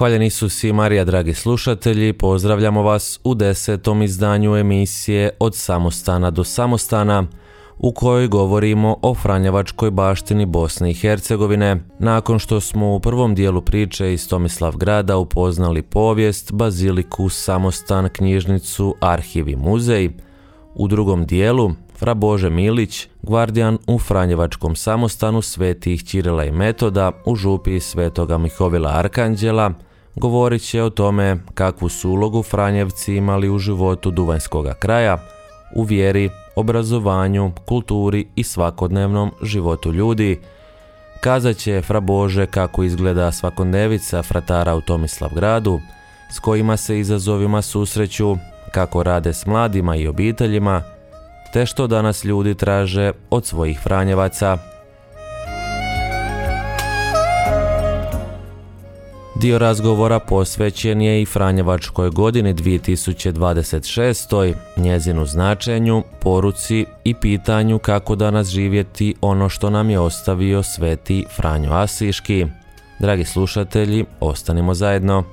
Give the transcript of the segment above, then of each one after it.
Hvaljen Isus i Marija, dragi slušatelji, pozdravljamo vas u 10. izdanju emisije Od samostana do samostana, u kojoj govorimo o franjevačkoj baštini Bosne i Hercegovine. Nakon što smo u prvom dijelu priče iz Tomislavgrada upoznali povijest, baziliku, samostan, knjižnicu, arhiv i muzej, u drugom dijelu fra Bože Milić, gvardijan u franjevačkom samostanu svetih Ćirila i Metoda u župi svetoga Mihovila Arkanđela, govorit će o tome kakvu su ulogu Franjevci imali u životu Duvanjskoga kraja, u vjeri, obrazovanju, kulturi i svakodnevnom životu ljudi. Kazat će fra Bože kako izgleda svakodnevica fratara u Tomislavgradu, s kojima se izazovima susreću, kako rade s mladima i obiteljima, te što danas ljudi traže od svojih Franjevaca. Dio razgovora posvećen je i Franjevačkoj godini 2026, njezinu značenju, poruci i pitanju kako danas živjeti ono što nam je ostavio sveti Franjo Asiški. Dragi slušatelji, ostanimo zajedno.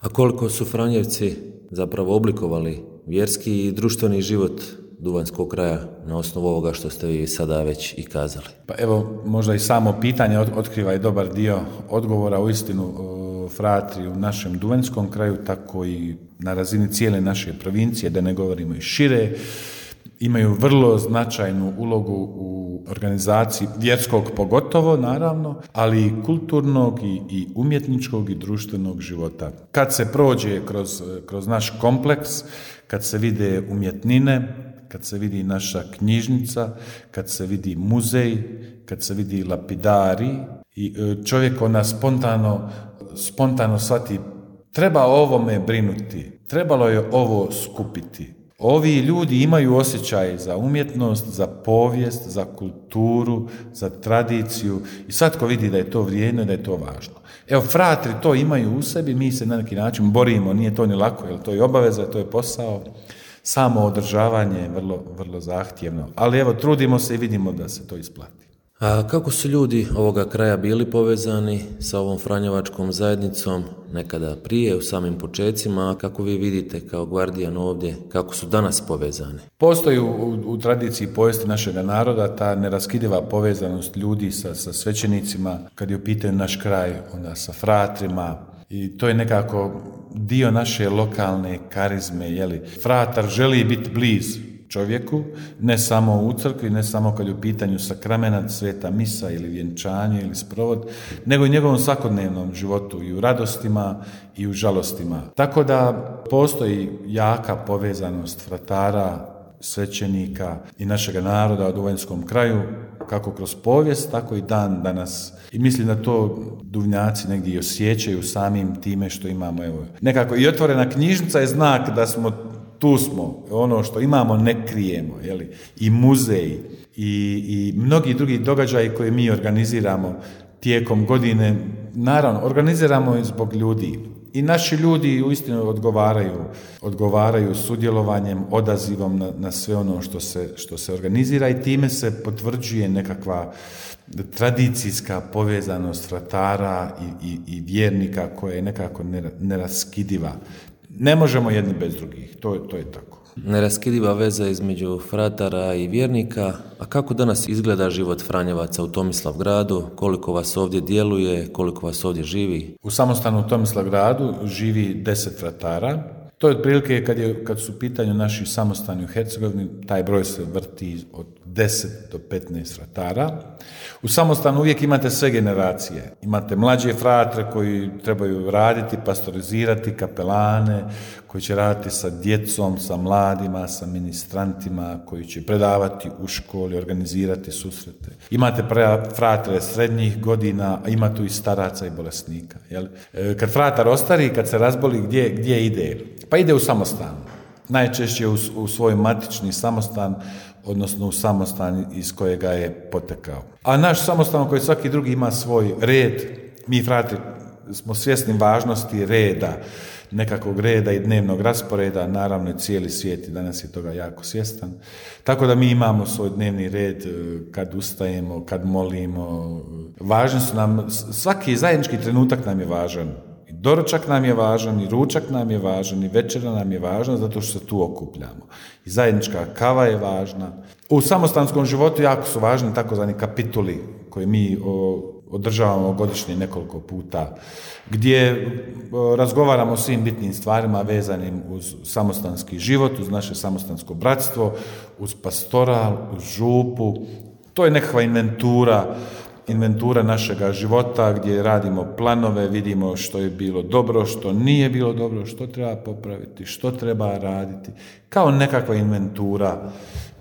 A koliko su Franjevci zapravo oblikovali vjerski i društveni život Duvanjskog kraja na osnovu ovoga što ste vi sada već i kazali? Pa evo, možda i samo pitanje otkriva i dobar dio odgovora. Uistinu fratri u našem Duvanjskom kraju, tako i na razini cijele naše provincije, da ne govorimo i šire, imaju vrlo značajnu ulogu u organizaciji vjerskog pogotovo, naravno, ali i kulturnog i umjetničkog i društvenog života. Kad se prođe kroz naš kompleks, kad se vide umjetnine, kad se vidi naša knjižnica, kad se vidi muzej, kad se vidi lapidari, i čovjek ona spontano shvati, treba o ovome brinuti, trebalo je ovo skupiti. Ovi ljudi imaju osjećaj za umjetnost, za povijest, za kulturu, za tradiciju i svatko vidi da je to vrijedno i da je to važno. Evo, fratri to imaju u sebi, mi se na neki način borimo, nije to ni lako, jer to je obaveza, to je posao. Samo održavanje je vrlo, vrlo zahtjevno, ali evo, trudimo se i vidimo da se to isplati. A kako su ljudi ovoga kraja bili povezani sa ovom franjevačkom zajednicom nekada prije, u samim počecima, a kako vi vidite kao gvardijan ovdje, kako su danas povezani? Postoji u tradiciji povijesti našega naroda ta neraskidiva povezanost ljudi sa svećenicima, kad je u pitanju naš kraj, onda sa fratrima, i to je nekako dio naše lokalne karizme, jeli. Fratar želi biti blizu čovjeku, ne samo u crkvi, ne samo kad je u pitanju sakramenat, sveta misa ili vjenčanje ili sprovod, nego i njegovom svakodnevnom životu, i u radostima i u žalostima. Tako da postoji jaka povezanost fratara, svećenika i našega naroda u Duvanjskom kraju, kako kroz povijest, tako i dan danas. I mislim da to Duvnjaci negdje i osjećaju samim time što imamo, evo, nekako i otvorena knjižnica je znak da tu smo, ono što imamo ne krijemo, jeli? I muzej i mnogi drugi događaji koje mi organiziramo tijekom godine, naravno, organiziramo i zbog ljudi. I naši ljudi uistinu odgovaraju sudjelovanjem, odazivom na sve ono što se organizira, i time se potvrđuje nekakva tradicijska povezanost fratara i vjernika koja je nekako neraskidiva. Ne možemo jedni bez drugih, to je tako. Neraskidiva veza između fratara i vjernika. A kako danas izgleda život Franjevaca u Tomislavgradu? Koliko vas ovdje djeluje, koliko vas ovdje živi? U samostanu u Tomislavgradu živi 10 fratara. To je otprilike kad su u pitanju naši samostani u Hercegovini, taj broj se vrti od 10 do 15 fratara. U samostanu uvijek imate sve generacije. Imate mlađe fratre koji trebaju raditi, pastorizirati, kapelane, koji će raditi sa djecom, sa mladima, sa ministrantima, koji će predavati u školi, organizirati susrete. Imate fratre srednjih godina, a ima tu i staraca i bolesnika. Jel? Kad fratar ostari, kad se razboli, gdje ide? Pa ide u samostan. Najčešće u svoj matični samostan, odnosno u samostan iz kojega je potekao. A naš samostan, koji svaki drugi ima svoj red, mi fratri smo svjesni važnosti reda. nekakvog reda i dnevnog rasporeda, naravno i cijeli svijet i danas je toga jako svjestan. Tako da mi imamo svoj dnevni red kad ustajemo, kad molimo. Važni su nam, svaki zajednički trenutak nam je važan. I doručak nam je važan, i ručak nam je važan, i večera nam je važna zato što se tu okupljamo. I zajednička kava je važna. U samostanskom životu jako su važni takozvani kapituli koje mi održavamo godišnje nekoliko puta, gdje razgovaramo o svim bitnim stvarima vezanim uz samostanski život, uz naše samostansko bratstvo, uz pastoral, uz župu. To je nekakva inventura našega života gdje radimo planove, vidimo što je bilo dobro, što nije bilo dobro, što treba popraviti, što treba raditi, kao nekakva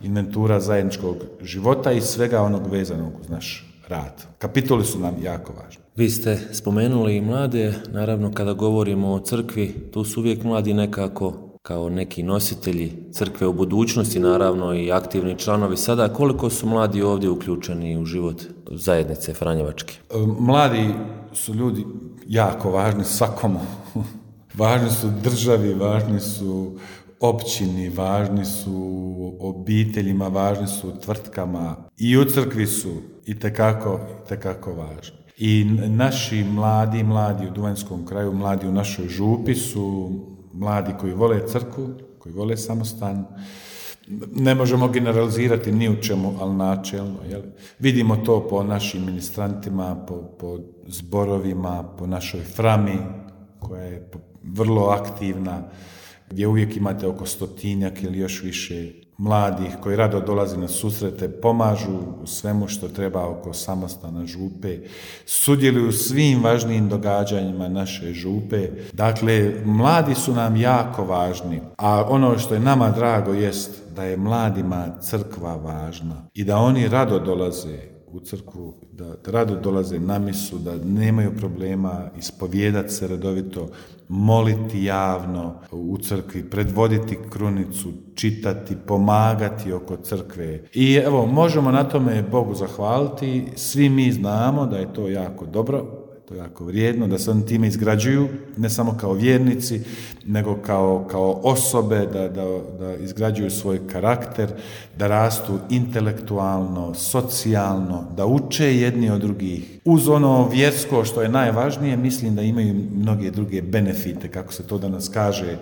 inventura zajedničkog života i svega onog vezanog uz naš rad. Kapitoli su nam jako važni. Vi ste spomenuli i mlade, naravno kada govorimo o crkvi, tu su uvijek mladi nekako kao neki nositelji crkve u budućnosti, naravno i aktivni članovi. Sada koliko su mladi ovdje uključeni u život zajednice Franjevačke? Mladi su ljudi jako važni svakomu. Važni su državi, važni su općini, važni su obiteljima, važni su tvrtkama i u crkvi su itekako važni. I naši mladi u Duvanjskom kraju, mladi u našoj župi su mladi koji vole crkvu, koji vole samostan. Ne možemo generalizirati ni u čemu, ali načelno. Jel? Vidimo to po našim ministrantima, po zborovima, po našoj frami koja je vrlo aktivna, gdje uvijek imate oko 100 ili još više mladih koji rado dolazi na susrete, pomažu u svemu što treba oko samostana župe, sudjeluju u svim važnijim događanjima naše župe. Dakle, mladi su nam jako važni, a ono što je nama drago jest da je mladima crkva važna i da oni rado dolaze u crkvu, da rado dolaze na misu, da nemaju problema ispovijedati se redovito, moliti javno u crkvi, predvoditi krunicu, čitati, pomagati oko crkve. I evo, možemo na tome Bogu zahvaliti, svi mi znamo da je to jako dobro, to je jako vrijedno, da se oni time izgrađuju, ne samo kao vjernici, nego kao osobe, da izgrađuju svoj karakter, da rastu intelektualno, socijalno, da uče jedni od drugih. Uz ono vjersko što je najvažnije, mislim da imaju mnoge druge benefite, kako se to danas kaže,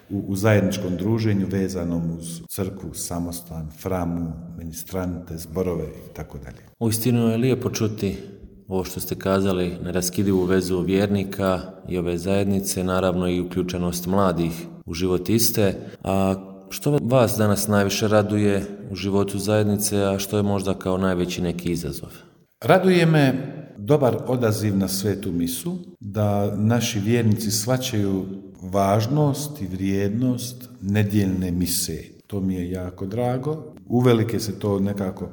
u zajedničkom druženju vezanom uz crkvu, samostan, framu, ministrante, zborove i tako dalje. Uistinu je lijepo čuti ovo što ste kazali, neraskidivu vezu vjernika i ove zajednice, naravno i uključenost mladih u život iste. A što vas danas najviše raduje u životu zajednice, a što je možda kao najveći neki izazov? Raduje me dobar odaziv na svetu misu, da naši vjernici shvaćaju važnost i vrijednost nedjeljne mise. To mi je jako drago. Uvelike se to nekako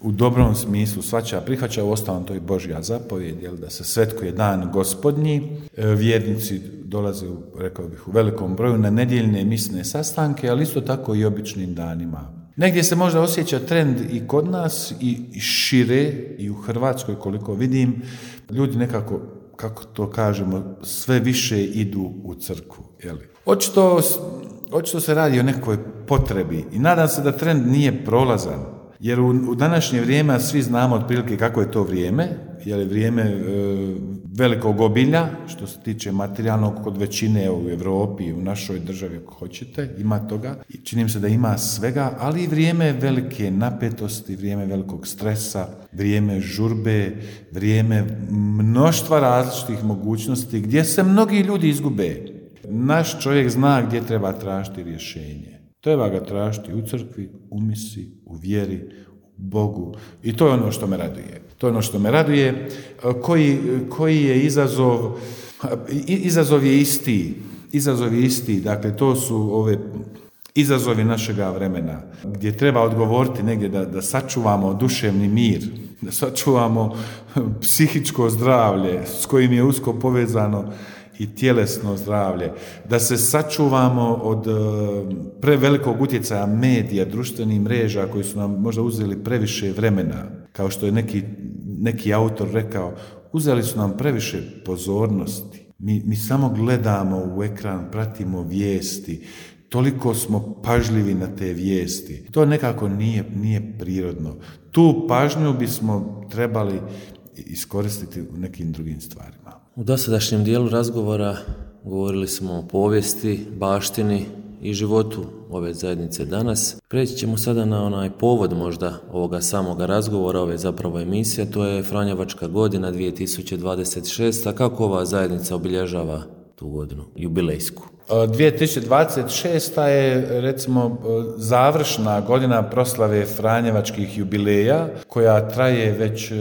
u dobrom smislu shvaća, prihvaća, uostalom to je Božja zapovjed, da se svetkuje dan Gospodnji. Vjernici dolaze, rekao bih, u velikom broju na nedjeljne misne sastanke, ali isto tako i običnim danima. Negdje se možda osjeća trend i kod nas i šire i u Hrvatskoj, koliko vidim, ljudi nekako, kako to kažemo, sve više idu u crkvu. Očito se radi o nekoj potrebi i nadam se da trend nije prolazan. Jer u današnje vrijeme svi znamo otprilike kako je to vrijeme, jer je vrijeme velikog obilja, što se tiče materijalnog kod većine u Europi i u našoj državi, ako hoćete, ima toga. I čini mi se da ima svega, ali i vrijeme velike napetosti, vrijeme velikog stresa, vrijeme žurbe, vrijeme mnoštva različitih mogućnosti gdje se mnogi ljudi izgube. Naš čovjek zna gdje treba tražiti rješenje. Treba ga tražiti u crkvi, u misi, u vjeri, u Bogu. I to je ono što me raduje. To je ono što me raduje. Koji je izazov? Izazov je isti. Izazov je isti. Dakle, to su ove izazovi našega vremena, gdje treba odgovoriti negdje da sačuvamo duševni mir, da sačuvamo psihičko zdravlje s kojim je usko povezano i tjelesno zdravlje, da se sačuvamo od prevelikog utjecaja medija, društvenih mreža koji su nam možda uzeli previše vremena, kao što je neki autor rekao, uzeli su nam previše pozornosti. Mi samo gledamo u ekran, pratimo vijesti, toliko smo pažljivi na te vijesti. To nekako nije prirodno. Tu pažnju bismo trebali iskoristiti u nekim drugim stvarima. U dosadašnjem dijelu razgovora govorili smo o povijesti, baštini i životu ove zajednice danas. Preći ćemo sada na onaj povod možda ovoga samoga razgovora, ove zapravo emisije, to je Franjevačka godina 2026. A kako ova zajednica obilježava tu godinu, jubilejsku? 2026. je recimo završna godina proslave Franjevačkih jubileja koja traje već,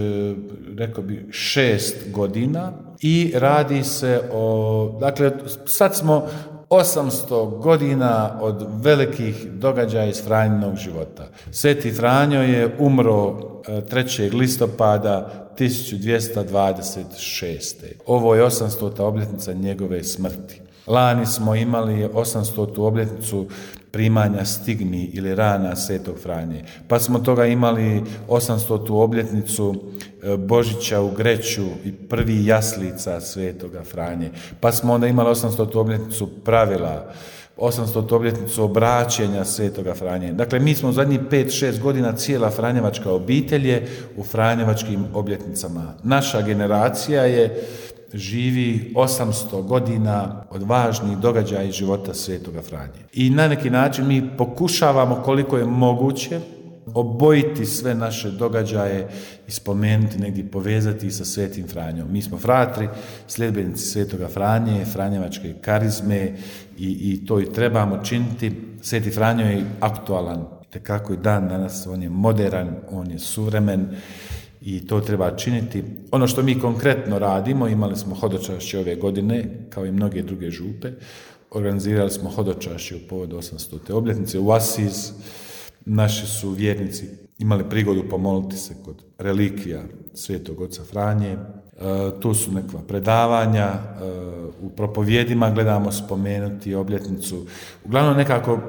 rekao bi, 6 godina i radi se o, dakle, sad smo 800 godina od velikih događaja iz Franjinog života. Sveti Franjo je umro 3. listopada 1226. Ovo je 800. obljetnica njegove smrti. Lani smo imali 800. obljetnicu primanja stigmi ili rana Svetog Franje. Pa smo toga imali 800. obljetnicu Božića u Greću i prvi jaslica Svetoga Franje. Pa smo onda imali 800. obljetnicu pravila, 800. obljetnicu obraćenja Svetoga Franje. Dakle, mi smo u zadnjih 5-6 godina, cijela Franjevačka obitelj je u Franjevačkim obljetnicama. Naša generacija živi 800 godina od važnih događaja iz života Svetoga Franje. I na neki način mi pokušavamo koliko je moguće obojiti sve naše događaje i spomenuti, negdje povezati sa Svetim Franjom. Mi smo fratri, sljedbenici Svetoga Franje, Franjevačke karizme i to i trebamo činiti. Sveti Franjo je aktualan, tekako i dan danas, on je moderan, on je suvremen i to treba činiti. Ono što mi konkretno radimo, imali smo hodočašće ove godine, kao i mnoge druge župe, organizirali smo hodočašće u povodu 800. obljetnice u Asiz. Naši su vjernici imali prigodu pomoliti se kod relikvija Svetog oca Franje. Tu su neka predavanja, u propovjedima gledamo spomenuti obljetnicu. Uglavnom nekako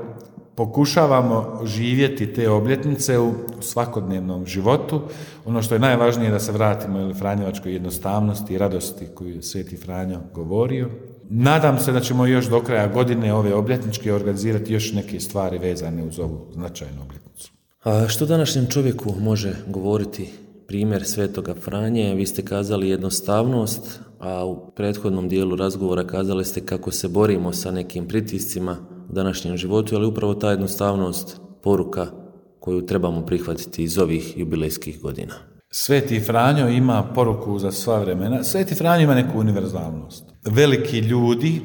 pokušavamo živjeti te obljetnice u svakodnevnom životu. Ono što je najvažnije je da se vratimo Franjevačkoj jednostavnosti i radosti koju je Sveti Franjo govorio. Nadam se da ćemo još do kraja godine ove obljetničke organizirati još neke stvari vezane uz ovu značajnu obljetnicu. A što današnjem čovjeku može govoriti primjer Svetoga Franje? Vi ste kazali jednostavnost, a u prethodnom dijelu razgovora kazali ste kako se borimo sa nekim pritiscima u današnjem životu, ali upravo ta jednostavnost poruka koju trebamo prihvatiti iz ovih jubilejskih godina. Sveti Franjo ima poruku za sva vremena. Sveti Franjo ima neku univerzalnost. Veliki ljudi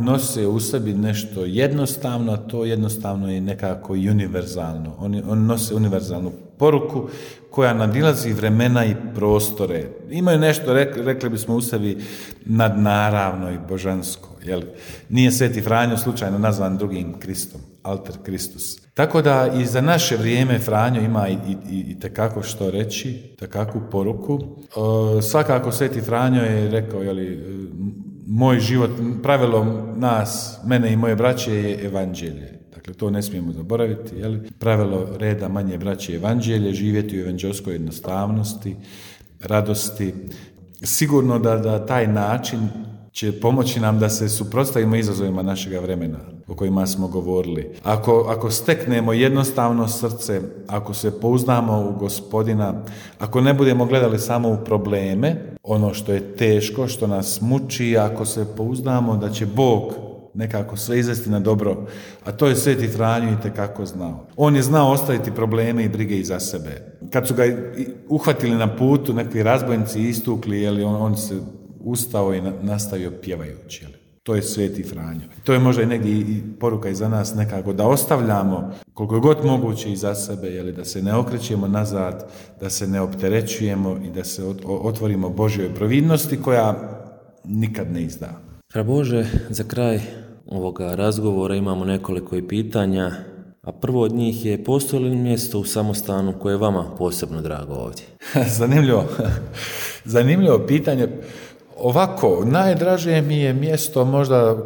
nose u sebi nešto jednostavno, a to jednostavno je nekako i univerzalno. Oni nose univerzalnu poruku koja nadilazi vremena i prostore. Imaju nešto, rekli bismo u sebi, nadnaravno i božansko. Jel? Nije Sveti Franjo slučajno nazvan drugim Kristom, alter Kristus. Tako da i za naše vrijeme Franjo ima i tekako što reći, tekakvu poruku. Svakako Sveti Franjo je rekao, moj život, pravilo nas, mene i moje braće je evanđelje. Dakle, to ne smijemo zaboraviti. Pravilo reda manje braće je evanđelje, živjeti u evanđelskoj jednostavnosti, radosti. Sigurno da taj način će pomoći nam da se suprotstavimo izazovima našega vremena o kojima smo govorili. Ako steknemo jednostavno srce, ako se pouzdamo u Gospodina, ako ne budemo gledali samo u probleme, ono što je teško, što nas muči, ako se pouzdamo da će Bog nekako sve izvesti na dobro, a to je Sveti Franjo itekako znao. On je znao ostaviti probleme i brige iza sebe. Kad su ga uhvatili na putu, neki razbojnici istukli, on se ustao i nastavio pjevajući. To je Sveti Franjo. To je možda i negdje i poruka i za nas nekako da ostavljamo koliko god moguće iza sebe, da se ne okrećemo nazad, da se ne opterećujemo i da se otvorimo Božjoj providnosti koja nikad ne izda. Fra Bože, za kraj ovoga razgovora imamo nekoliko i pitanja, a prvo od njih je: postoji li mjesto u samostanu koje je vama posebno drago ovdje? Zanimljivo pitanje. Ovako, najdraže mi je mjesto možda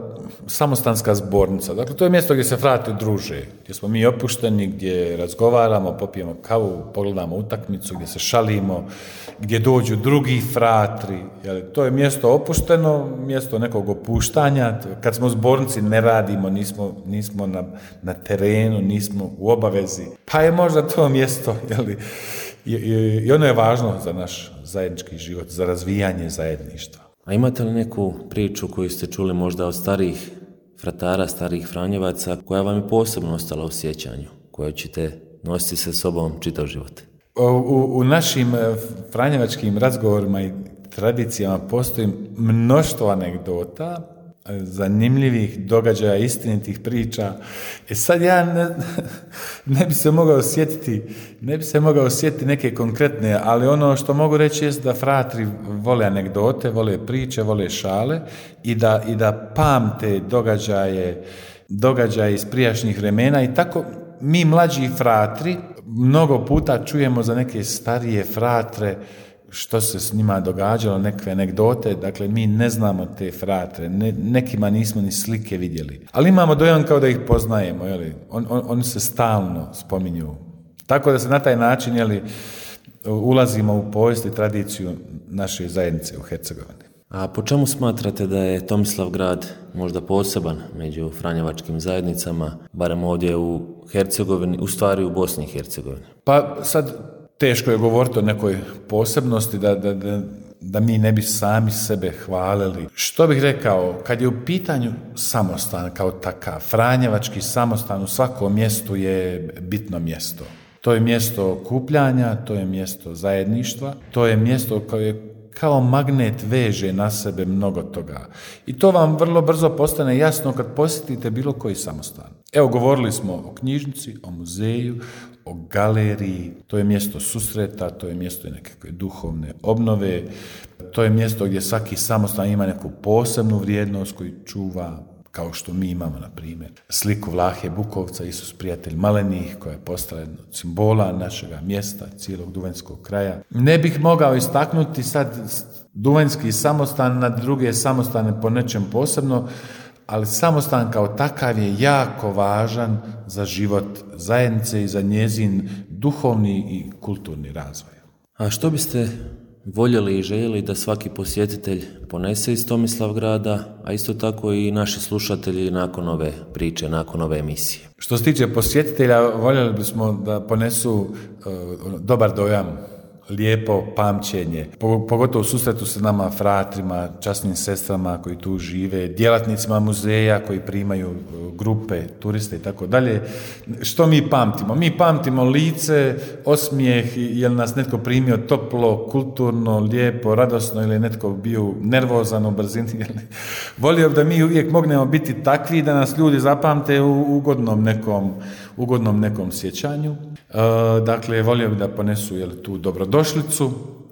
samostanska zbornica. Dakle, to je mjesto gdje se frati druže, gdje smo mi opušteni, gdje razgovaramo, popijemo kavu, pogledamo utakmicu, gdje se šalimo, gdje dođu drugi fratri. To je mjesto opušteno, mjesto nekog opuštanja. Kad smo u zbornici ne radimo, nismo na terenu, nismo u obavezi. Pa je možda to mjesto, i ono je važno za naš zajednički život, za razvijanje zajedništva. A imate li neku priču koju ste čuli možda od starijih fratara, starijih Franjevaca, koja vam je posebno ostala u sjećanju, koju ćete nositi sa sobom čitav život? U našim franjevačkim razgovorima i tradicijama postoji mnoštvo anegdota, zanimljivih događaja, istinitih priča. Sad ja ne bi se mogao sjetiti neke konkretne, ali ono što mogu reći jest da fratri vole anegdote, vole priče, vole šale i da pamte događaje iz prijašnjih vremena i tako mi mlađi fratri mnogo puta čujemo za neke starije fratre što se s njima događalo, neke anegdote, dakle mi ne znamo te fratre, nekima nismo ni slike vidjeli, ali imamo dojam kao da ih poznajemo, oni se stalno spominju. Tako da se na taj način ulazimo u povijest i tradiciju naše zajednice u Hercegovini. A po čemu smatrate da je Tomislavgrad možda poseban među franjevačkim zajednicama, barem ovdje u Hercegovini, u stvari u Bosni i Hercegovini? Pa sad teško je govoriti o nekoj posebnosti da mi ne bi sami sebe hvalili. Što bih rekao, kad je u pitanju samostan kao takav, franjevački samostan u svakom mjestu je bitno mjesto. To je mjesto okupljanja, to je mjesto zajedništva, to je mjesto koje kao magnet veže na sebe mnogo toga. I to vam vrlo brzo postane jasno kad posjetite bilo koji samostan. Evo, govorili smo o knjižnici, o muzeju, o galeriji, to je mjesto susreta, to je mjesto nekakve duhovne obnove, to je mjesto gdje svaki samostan ima neku posebnu vrijednost koju čuva, kao što mi imamo, na primjer, sliku Vlahe Bukovca, Isus prijatelj malenih, koja je postala jedna od simbola našega mjesta, cijelog duvanjskog kraja. Ne bih mogao istaknuti sad duvanjski samostan na druge samostane po nečem posebno, ali samostan kao takav je jako važan za život zajednice i za njezin duhovni i kulturni razvoj. A što biste voljeli i željeli da svaki posjetitelj ponese iz Tomislavgrada, a isto tako i naši slušatelji nakon ove priče, nakon ove emisije? Što se tiče posjetitelja, voljeli bismo da ponesu dobar dojam, lijepo pamćenje, pogotovo u susretu sa nama fratrima, časnim sestrama koji tu žive, djelatnicima muzeja koji primaju grupe, turiste i tako dalje. Što mi pamtimo? Mi pamtimo lice, osmijeh, je li nas netko primio toplo, kulturno, lijepo, radosno ili je netko bio nervozan u brzini. Volio bi da mi uvijek mognemo biti takvi da nas ljudi zapamte u ugodnom nekom sjećanju. Dakle, volio bi da ponesu tu dobrodošlicu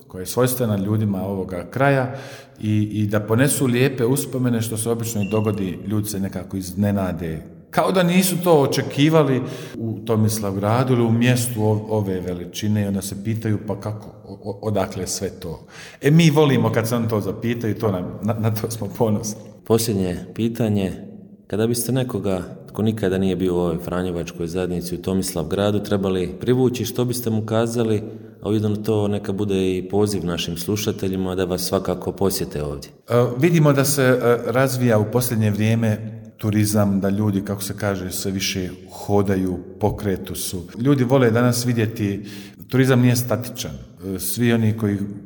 koja je svojstvena ljudima ovoga kraja i da ponesu lijepe uspomene, što se obično i dogodi, ljudi se nekako iznenade, kao da nisu to očekivali u Tomislavgradu ili u mjestu ove veličine i onda se pitaju pa kako, odakle sve to. Mi volimo kad se oni to zapitaju, na to smo ponosni. Posljednje pitanje, kada biste nekoga tko nikada nije bio u ovoj franjevačkoj zajednici u Tomislavgradu trebali privući, što biste mu kazali, a ujedno to neka bude i poziv našim slušateljima da vas svakako posjete ovdje? Vidimo da se razvija u posljednje vrijeme turizam, da ljudi, kako se kaže, sve više hodaju, pokretu su. Ljudi vole danas vidjeti, turizam nije statičan. Svi oni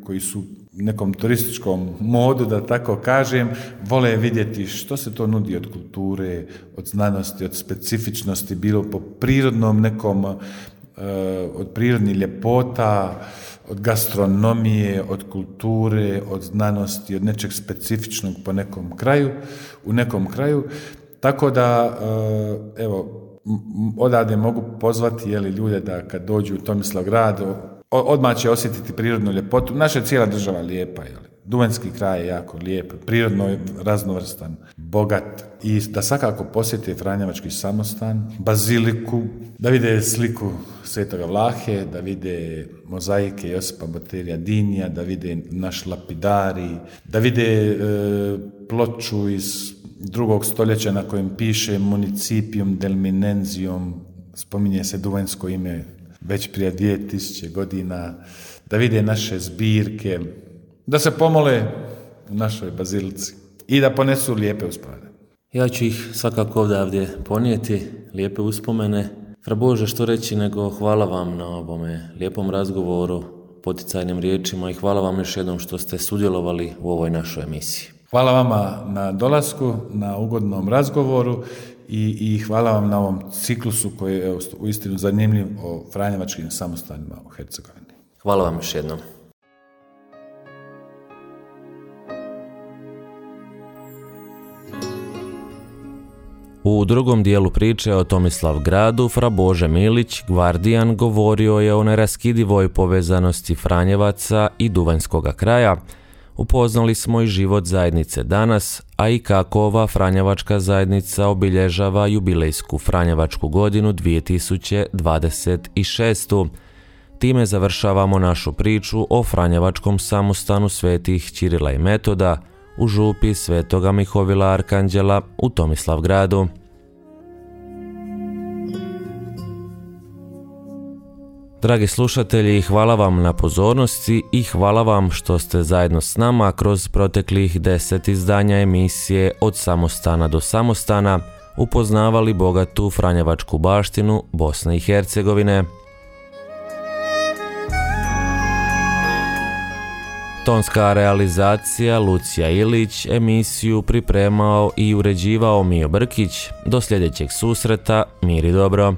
koji su nekom turističkom modu, da tako kažem, vole vidjeti što se to nudi od kulture, od znanosti, od specifičnosti, bilo po prirodnom nekom, od prirodnih ljepota, od gastronomije, od kulture, od znanosti, od nečeg specifičnog po nekom kraju, u nekom kraju. Tako da, evo, odavde mogu pozvati ljude da kad dođu u Tomislavgrad, odmah će osjetiti prirodnu ljepotu. Naša je cijela država lijepa, Duvanjski kraj je jako lijep, prirodno raznovrstan, bogat i da svakako posjete franjevački samostan, baziliku, da vide sliku Svetoga Vlahe, da vide mozaike Josipa Boterija Dinija, da vide naš lapidari, da vide ploču iz II. Stoljeća na kojem piše Municipium del Minensium, spominje se duvanjsko ime već prije 2000 godina, da vide naše zbirke, da se pomole u našoj bazilici i da ponesu lijepe uspomene. Ja ću ih svakako ovdje ponijeti, lijepe uspomene. Fra Bože, što reći nego hvala vam na ovome lijepom razgovoru, poticajnim riječima i hvala vam još jednom što ste sudjelovali u ovoj našoj emisiji. Hvala vama na dolasku, na ugodnom razgovoru i hvala vam na ovom ciklusu koji je uistinu zanimljiv o franjevačkim samostanima u Hercegovini. Hvala vam još jednom. U drugom dijelu priče o Tomislavgradu fra Bože Milić, gvardijan, govorio je o neraskidivoj povezanosti Franjevaca i Duvanjskoga kraja. Upoznali smo i život zajednice danas, a i kako ova franjevačka zajednica obilježava jubilejsku franjevačku godinu 2026. Time završavamo našu priču o franjevačkom samostanu svetih Ćirila i Metoda u župi Svetoga Mihovila Arkanđela u Tomislavgradu. Dragi slušatelji, hvala vam na pozornosti i hvala vam što ste zajedno s nama kroz proteklih 10 izdanja emisije Od samostana do samostana upoznavali bogatu franjevačku baštinu Bosne i Hercegovine. Tonska realizacija Lucija Ilić, emisiju pripremao i uređivao Mio Brkić. Do sljedećeg susreta, mir i dobro.